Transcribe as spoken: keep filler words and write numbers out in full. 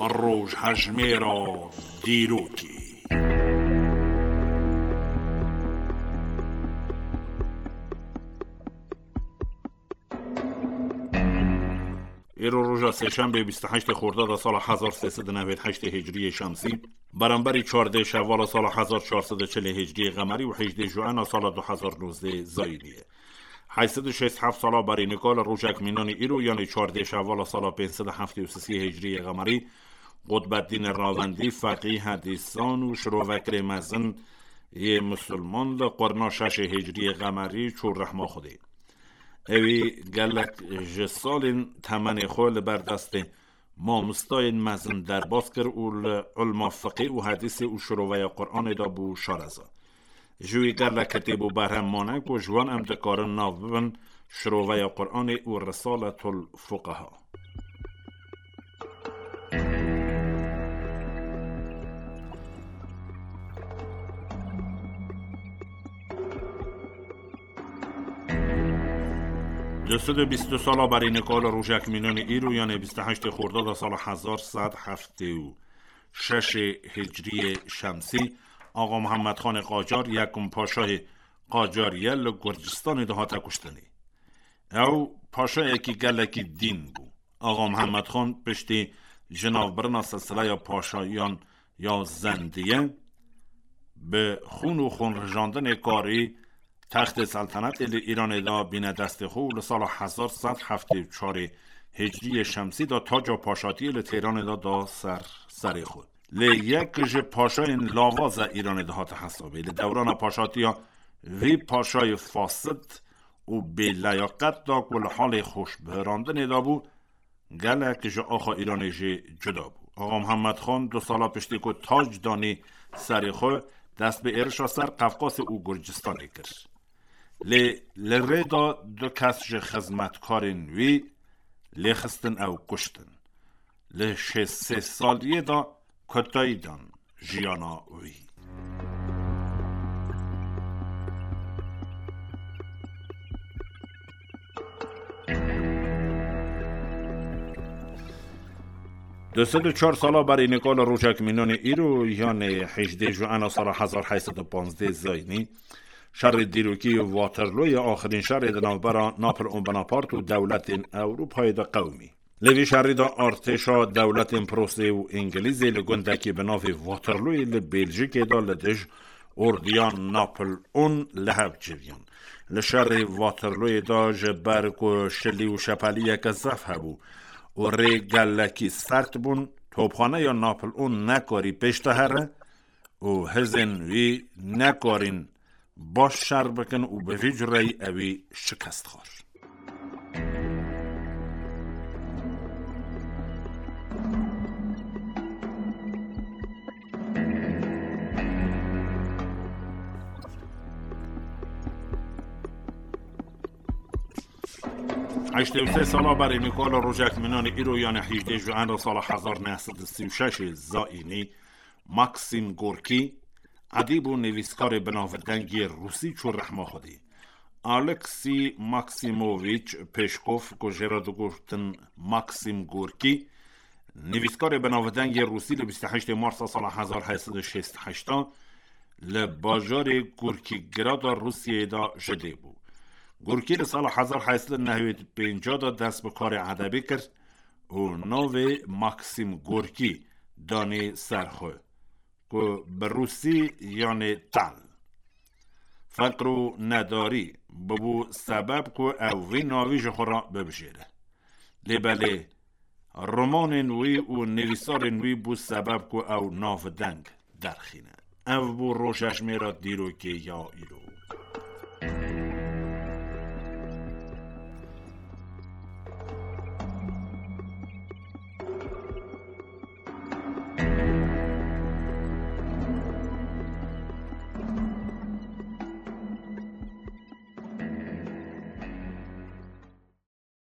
Rojhejmêra dîrokê. Îro roja sêşembê bîst û heştê Xordada sala hezar sê sed û newêd heştê Hicriyê Şemsî, beramberî çardê Şevala sala hezar çar sed û çilê Hicriyê Qemerî û hejdê Juena sala du hezar nozdê Zayînî ye. Heyt sed û şêst heft sala berî nika li rojek mînanî îro, yanê çardê Şevala sala pênc sed û heftê û sisê Hicriyê Qemerî, Qutbeddînê Ravendî, feqî, hedîsan û şirovekirê mezin yê misilman li qurna şeşê Hicriyê Qemerî çû rehma Xwedê. Ewî gelek ji salên temenê xwe li ber destê mamostayên mezin derbas kir û li ilma fiqê û hedîsê û şiroveya Quranê de bû şareza. Ji wî gelek kitêb û berhem mane ku ji wan em dikarin nav bibin şiroveya Quranê û Risaletul Fuqeha. Du sed û bîst û du sala berî nika li rojek mînanî îro, yanê bîst û heştê Xordada sala hezar sed heftê û şeşê Hicriyê Şemsî, Axa Mihemed Xanê Qacar, yekum paşayê Qacarî ye, li Gurcistanê de hate kuştinê. Ew paşayekî gelekî dîn bû. Axa Mihemed Xan piştî jinavbirina silsileya paşayan ya Zendiye, bi xûn û xûnrijandinê karî textê seltenetê li Îranê de bîne destê xwe û li sala hezar sed heftê û çarê Hicriyê Şemsî de taca paşatiyê li Têranê de da ser serê xwe. Lê yek ji paşayên lavaza Îranê dihate hesabê. Li dewrana paşatiya vî paşayê fasid û bêleyaket de ku li halê xweşbihirandinê de bû, gelek ji axa Îranê jî cuda bû. Axa Mihemed Xan du sala piştî ku tac danî serê xwe, dest bi êrişa ser Qefqasê û Gurcistanê kir. Lê li rê de du kes ji xizmetkarên wî lêxistin ew kuştin. Li şêst sê saliyê de kotayî dan jiyana wî. Du sed û çar sala berî nika li rojek mînanê îro, yanê hejdê Juena sala hezar heyt sed û panzdeh Zayînî, şerê dîrokî Waterlooyê, axirîn şerê di navbera Napoleon Bonaparte û dewletên Ewropayê de qewimî. Li vî şerî de artêşa dewletên Prusê û Îngilîzê li gundekî bi navê Waterlooyê li Bêljikê de li dij ordiya Napoleon li hev civiyan. Li şerê Waterlooyê de ji ber ku şilî û şepeliyeke zef hebû û rê gelekî sert bûn, topxaneya Napoleon nekarî pêş de here û hizên wî nekarîn baş şer bikin û bi vî cureyî ewî şikest xwar. Heştê û sê sala berê Nîkola rojek mînanê îro, yanê hejdê Juenra sala hezar neh sed û sî û şeş zayînî, Maksim Gorkî, edîb û nivîskarê binavdeng yê Rûsî çû rehma Xwedê. Aleksî Maksimovîç Pêşkov, ku jê re digotin Maksim Gorkî, nivîskarê binavdeng yê Rûsî, li bîst û heştê Marsa sala hezar heyt sed û şêst û heşt li bajarê Gorkîgrada Rûsiyeyê de ji dê bû. Gorkî li sala hezar heyt sed û newêd û pênc de dest bi karê edebî kir û navê Maksim Gorkî danî ser xwe, ku bi rûsî yanê tal, feqr û nedarî, bibû sebeb ku ew vî navî ji xwe re bibijêre. Lê belê, romanên wî û nivîsarên wî bû sebeb ku ew navdeng derxîne. Ev bû rojejmêra dîrokê ya îro.